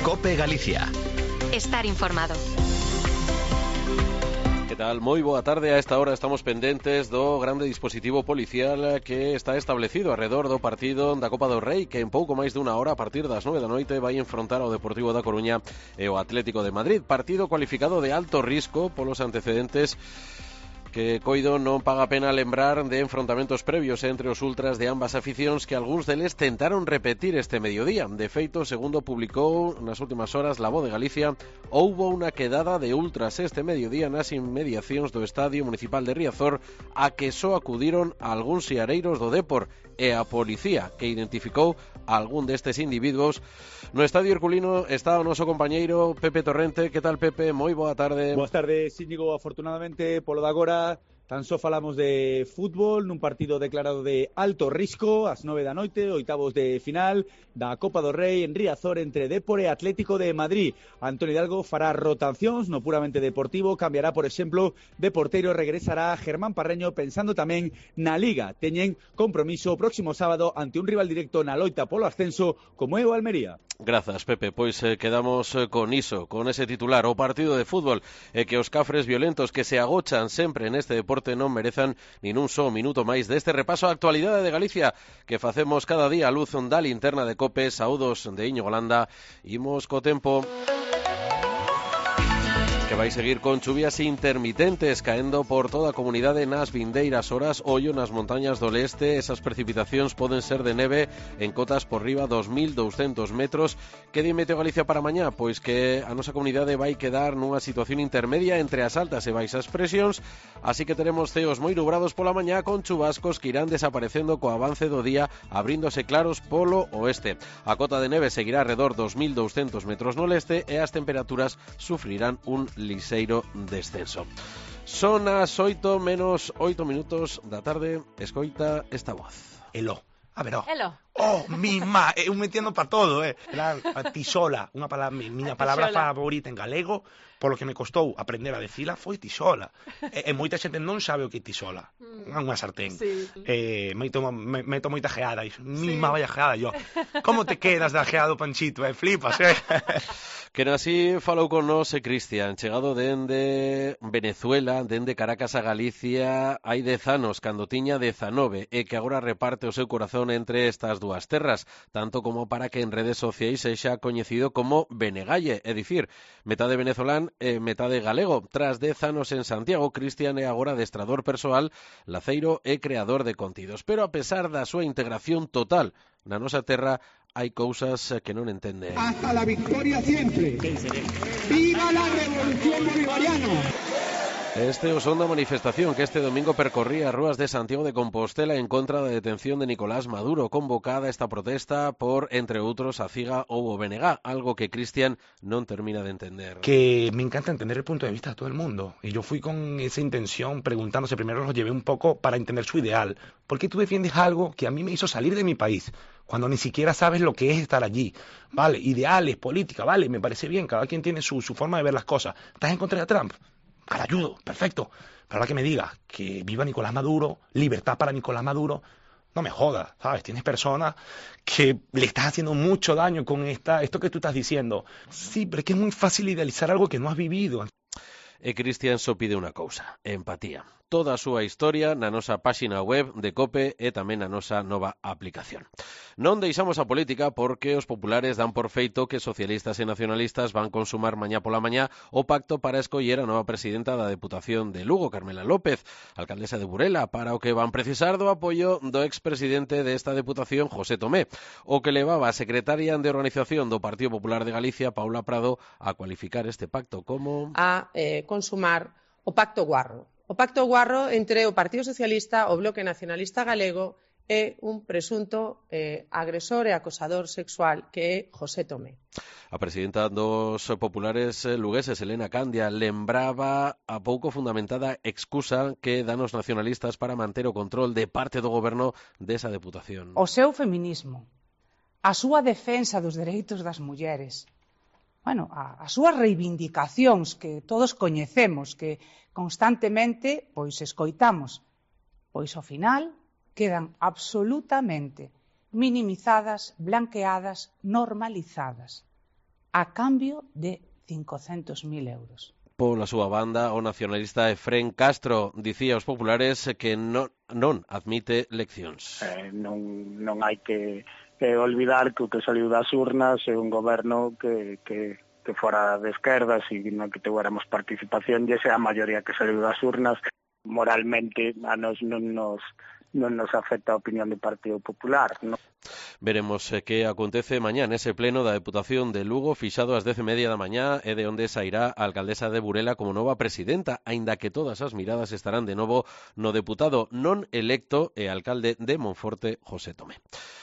COPE Galicia. Estar informado. Que tal? Moi boa tarde. A esta hora estamos pendentes do grande dispositivo policial que está establecido arredor do partido da Copa do Rei, que en pouco máis dunha hora, a partir das 9 da noite, vai enfrontar ao Deportivo da Coruña e o Atlético de Madrid. Partido cualificado de alto risco polos antecedentes que coido non paga pena lembrar de enfrontamentos previos entre os ultras de ambas aficións que algúns deles tentaron repetir este mediodía. De feito, segundo publicou nas últimas horas La Voz de Galicia, houbo unha quedada de ultras este mediodía nas inmediacións do Estadio Municipal de Riazor a que só acudiron algúns siareiros do Dépor e a policía, que identificou a algún destes individuos. No Estadio Herculino está o noso compañeiro Pepe Torrente. Que tal, Pepe? Moi boa tarde. Boas tardes, Íñigo. Afortunadamente, polo de agora, tan só falamos de fútbol nun partido declarado de alto risco ás 9 da noite, oitavos de final da Copa do Rei en Riazor entre Dépor e Atlético de Madrid. Antonio Hidalgo fará rotacións no puramente deportivo, cambiará, por exemplo, de porteiro, regresará Germán Parreño pensando tamén na Liga. Teñen compromiso o próximo sábado ante un rival directo na loita polo ascenso como é o Almería. Grazas, Pepe. Pois quedamos con iso, con ese titular. O partido de fútbol que os cafres violentos que se agochan sempre neste deporte non merezan nin un só minuto máis deste repaso á actualidade de Galicia que facemos cada día a luz da linterna de COPE. Saúdos de Íñigo Landa. Imos co tempo, que vai seguir con chuvias intermitentes caendo por toda a comunidade nas vindeiras horas. Ollo nas montañas do leste, esas precipitacións poden ser de neve en cotas por riba dos 1.200 metros. Que di Meteo Galicia para mañá? Pois que a nosa comunidade vai quedar nunha situación intermedia entre as altas e baixas presións, así que teremos ceos moi nubrados pola mañá con chubascos que irán desaparecendo co avance do día, abríndose claros polo oeste. A cota de neve seguirá alrededor dos 1.200 metros no leste e as temperaturas sufrirán un liseiro descenso. Son as 8 menos 8 minutos da tarde. Escoita esta voz. Elo, a ver, Elo. Oh, mima, eu me entiendo para todo, Era a tisola, unha palabra, miña palabra favorita en galego, polo que me costou aprender a decila, foi tisola. E moita xente non sabe o que é tisola. Unha sartén. Sí. Meto moita geada, mima, vaya geada, yo. Como te quedas da geada do Panchito, flipas, Que así falou con nós Cristian, chegado dende Venezuela, dende Caracas a Galicia, hai 10 anos, cando tiña 19, e que agora reparte o seu corazón entre estas dúas terras, tanto como para que en redes sociais sexa coñecido como Benegalle, é dicir, metade venezolán e metade galego. Tras 10 anos en Santiago, Cristian é agora adestrador persoal, laceiro e creador de contidos. Pero a pesar da súa integración total na nosa terra, hai cousas que non entende. Hasta la victoria siempre. ¡Viva la revolución bolivariana! Este é o son da manifestación que este domingo percorría as rúas de Santiago de Compostela en contra da detención de Nicolás Maduro, convocada esta protesta por, entre outros, a CIGA ou o BNG, algo que Cristian non termina de entender. Que me encanta entender el punto de vista de todo el mundo. Y yo fui con esa intención preguntándose, primero los llevé un poco para entender su ideal. ¿Por qué tú defiendes algo que a mí me hizo salir de mi país? Cuando ni siquiera sabes lo que es estar allí. Vale, ideales, política, vale, me parece bien, cada quien tiene su forma de ver las cosas. ¿Estás en contra de Trump? Al ayudo, perfecto. Pero ahora que me digas que viva Nicolás Maduro, libertad para Nicolás Maduro, no me jodas, ¿sabes? Tienes personas que le estás haciendo mucho daño con esto que tú estás diciendo. Sí, pero es que es muy fácil idealizar algo que no has vivido. E Cristian só pide unha cousa, empatía. Toda a súa historia na nosa páxina web de COPE e tamén na nosa nova aplicación. Non deixamos a política porque os populares dan por feito que socialistas e nacionalistas van consumar mañá pola mañá o pacto para escoller a nova presidenta da Deputación de Lugo, Carmela López, alcaldesa de Burela, para o que van precisar do apoio do expresidente desta Deputación, José Tomé, o que levaba a secretaria de organización do Partido Popular de Galicia, Paula Prado, a cualificar este pacto como a consumar o pacto guarro. O pacto guarro entre o Partido Socialista, o Bloque Nacionalista Galego e un presunto agresor e acosador sexual que é José Tomé. A presidenta dos populares lugueses, Elena Candia, lembraba a pouco fundamentada excusa que dan os nacionalistas para manter o control de parte do goberno desa deputación. O seu feminismo, a súa defensa dos dereitos das mulleres, as súas reivindicacións que todos coñecemos, que constantemente escoitamos, ao final quedan absolutamente minimizadas, blanqueadas, normalizadas. a cambio de 500.000 euros. Pola súa banda, o nacionalista Efrén Castro dicía aos populares que non admite leccións. Non hai que olvidar que o que saliu das urnas é un goberno que fora de esquerdas e non que tuéramos participación, e esa é a maioría que saliu das urnas. Moralmente a nos non nos afecta a opinión do Partido Popular, non? Veremos que acontece mañá nese pleno da Deputación de Lugo, fixado ás 10:30 da mañá, e de onde sairá a alcaldesa de Burela como nova presidenta, aínda que todas as miradas estarán de novo no deputado non electo e alcalde de Monforte, José Tomé.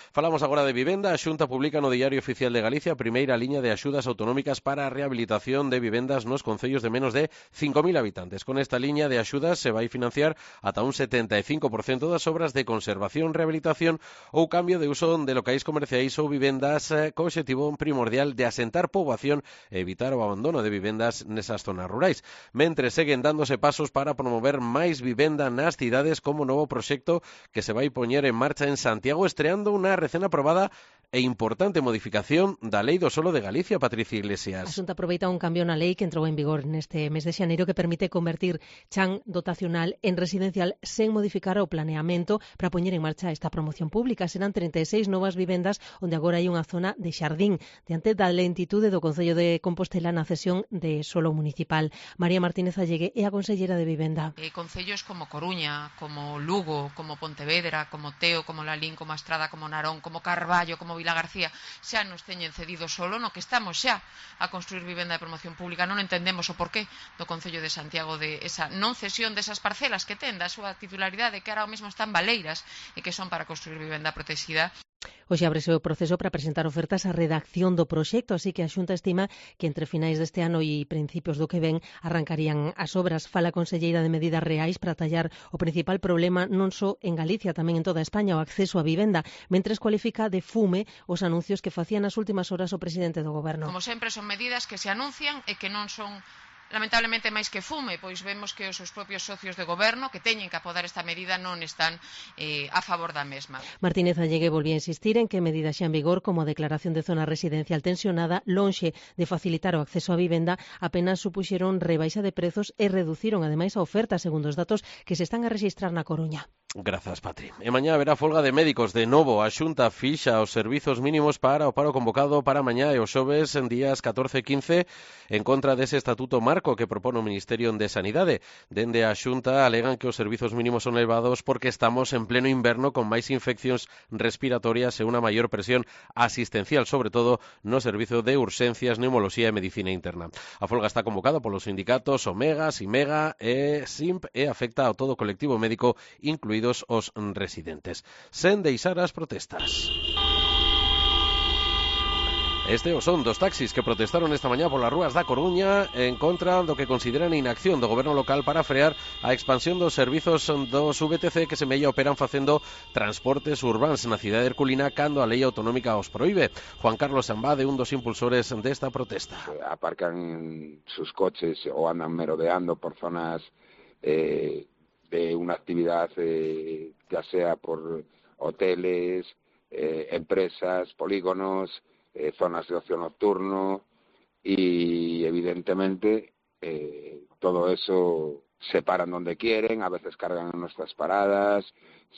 Falamos agora de vivenda. A Xunta publica no Diario Oficial de Galicia a primeira liña de axudas autonómicas para a rehabilitación de vivendas nos concellos de menos de 5.000 habitantes. Con esta liña de axudas se vai financiar ata un 75% das obras de conservación, rehabilitación ou cambio de uso de locais comerciais ou vivendas co obxectivo primordial de asentar poboación e evitar o abandono de vivendas nesas zonas rurais. Mentre seguen dándose pasos para promover máis vivenda nas cidades como novo proxecto que se vai poñer en marcha en Santiago, estreando unha recén aprobada e importante modificación da Lei do Solo de Galicia, Patricia Iglesias. A Xunta aproveita un cambio na lei que entrou en vigor neste mes de xaneiro que permite convertir chan dotacional en residencial sen modificar o planeamento para poñer en marcha esta promoción pública. Serán 36 novas vivendas onde agora hai unha zona de xardín diante da lentitude do Concello de Compostela na cesión de solo municipal. María Martínez Allegue é a consellera de Vivenda. Concellos como Coruña, como Lugo, como Pontevedra, como Teo, como Lalín, como Estrada, como Narón, como Carballo, como Vila García, xa nos teñen cedido solo, no que estamos xa a construir vivenda de promoción pública. Non entendemos o porqué do Concello de Santiago de esa non cesión desas parcelas que ten da súa titularidade, que ahora mesmo están baleiras e que son para construir vivenda protegida. Hoxe ábrese o proceso para presentar ofertas á redacción do proxecto, así que a Xunta estima que entre finais deste ano e principios do que ven arrancarían as obras. Fala a conselleira de Medidas Reais para tallar o principal problema non só en Galicia, tamén en toda España, o acceso á vivenda, mentres cualifica de fume os anuncios que facían nas últimas horas o presidente do Goberno. Como sempre, son medidas que se anuncian e que non son lamentablemente máis que fume, pois vemos que os seus propios socios de goberno que teñen que apodar esta medida non están a favor da mesma. Martínez Allegue volvía a insistir en que medidas xa en vigor como a declaración de zona residencial tensionada, lonxe de facilitar o acceso á vivenda, apenas supuxeron rebaixa de prezos e reduciron ademais a oferta, segundo os datos que se están a rexistrar na Coruña. Grazas, Patri. E mañá haberá folga de médicos de novo. A Xunta fixa os servizos mínimos para o paro convocado para mañá e os xoves en días 14 e 15 en contra dese estatuto marco que propone o Ministerio de Sanidade. Dende a Xunta alegan que os servizos mínimos son elevados porque estamos en pleno inverno con máis infeccións respiratorias e unha maior presión asistencial, sobre todo no servizo de urxencias, neumoloxía e medicina interna. A folga está convocada polos sindicatos Omega, Simega e SIMP e afecta a todo o colectivo médico, incluídos os residentes, sen deixar as protestas. Este son dos taxis que protestaron esta mañá polas rúas da Coruña en contra do que consideran inacción do goberno local para frear a expansión dos servizos dos VTC que semella operan facendo transportes urbáns na cidade herculina cando a lei autonómica os proíbe. Juan Carlos Ambade, un dos impulsores desta protesta. Aparcan sus coches o andan merodeando por zonas de una actividad ya sea por hoteles, empresas, polígonos, zonas de ocio nocturno y evidentemente todo eso se paran donde quieren, a veces cargan en nuestras paradas,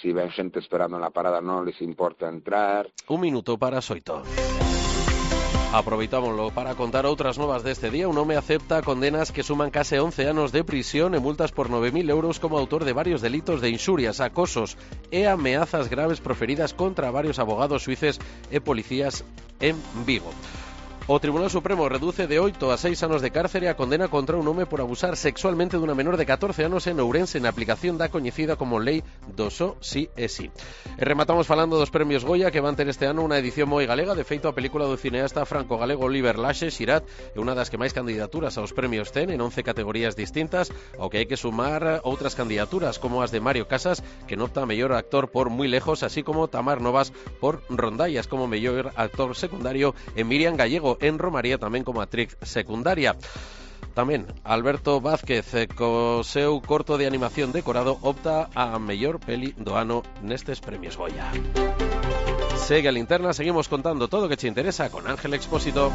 si ven gente esperando en la parada no les importa entrar. Un minuto para Soito. Aproveitámoslo para contar outras novas deste día. Un home acepta condenas que suman case 11 anos de prisión e multas por 9.000 euros como autor de varios delitos de inxurias, acosos e ameazas graves proferidas contra varios abogados suíces e policías en Vigo. O Tribunal Supremo reduce de 8 a 6 anos de cárcere a condena contra un home por abusar sexualmente dunha menor de 14 anos en Ourense na aplicación da coñecida como Lei do Só Si e Si. E rematamos falando dos premios Goya que van ter este ano unha edición moi galega. De feito, a película do cineasta franco-galego Oliver Laxe, Xirat, é unha das que máis candidaturas aos premios ten en 11 categorías distintas, ao que hai que sumar outras candidaturas como as de Mario Casas, que nota a mellor actor por Muy Lejos, así como Tamar Novas por Rondallas como mellor actor secundario e Miriam Gallego en Romaría tamén como actriz secundaria. Tamén Alberto Vázquez co seu corto de animación decorado opta a mellor peli do ano nestes premios Goya. Segue a linterna, seguimos contando todo o que che interesa con Ángel Expósito.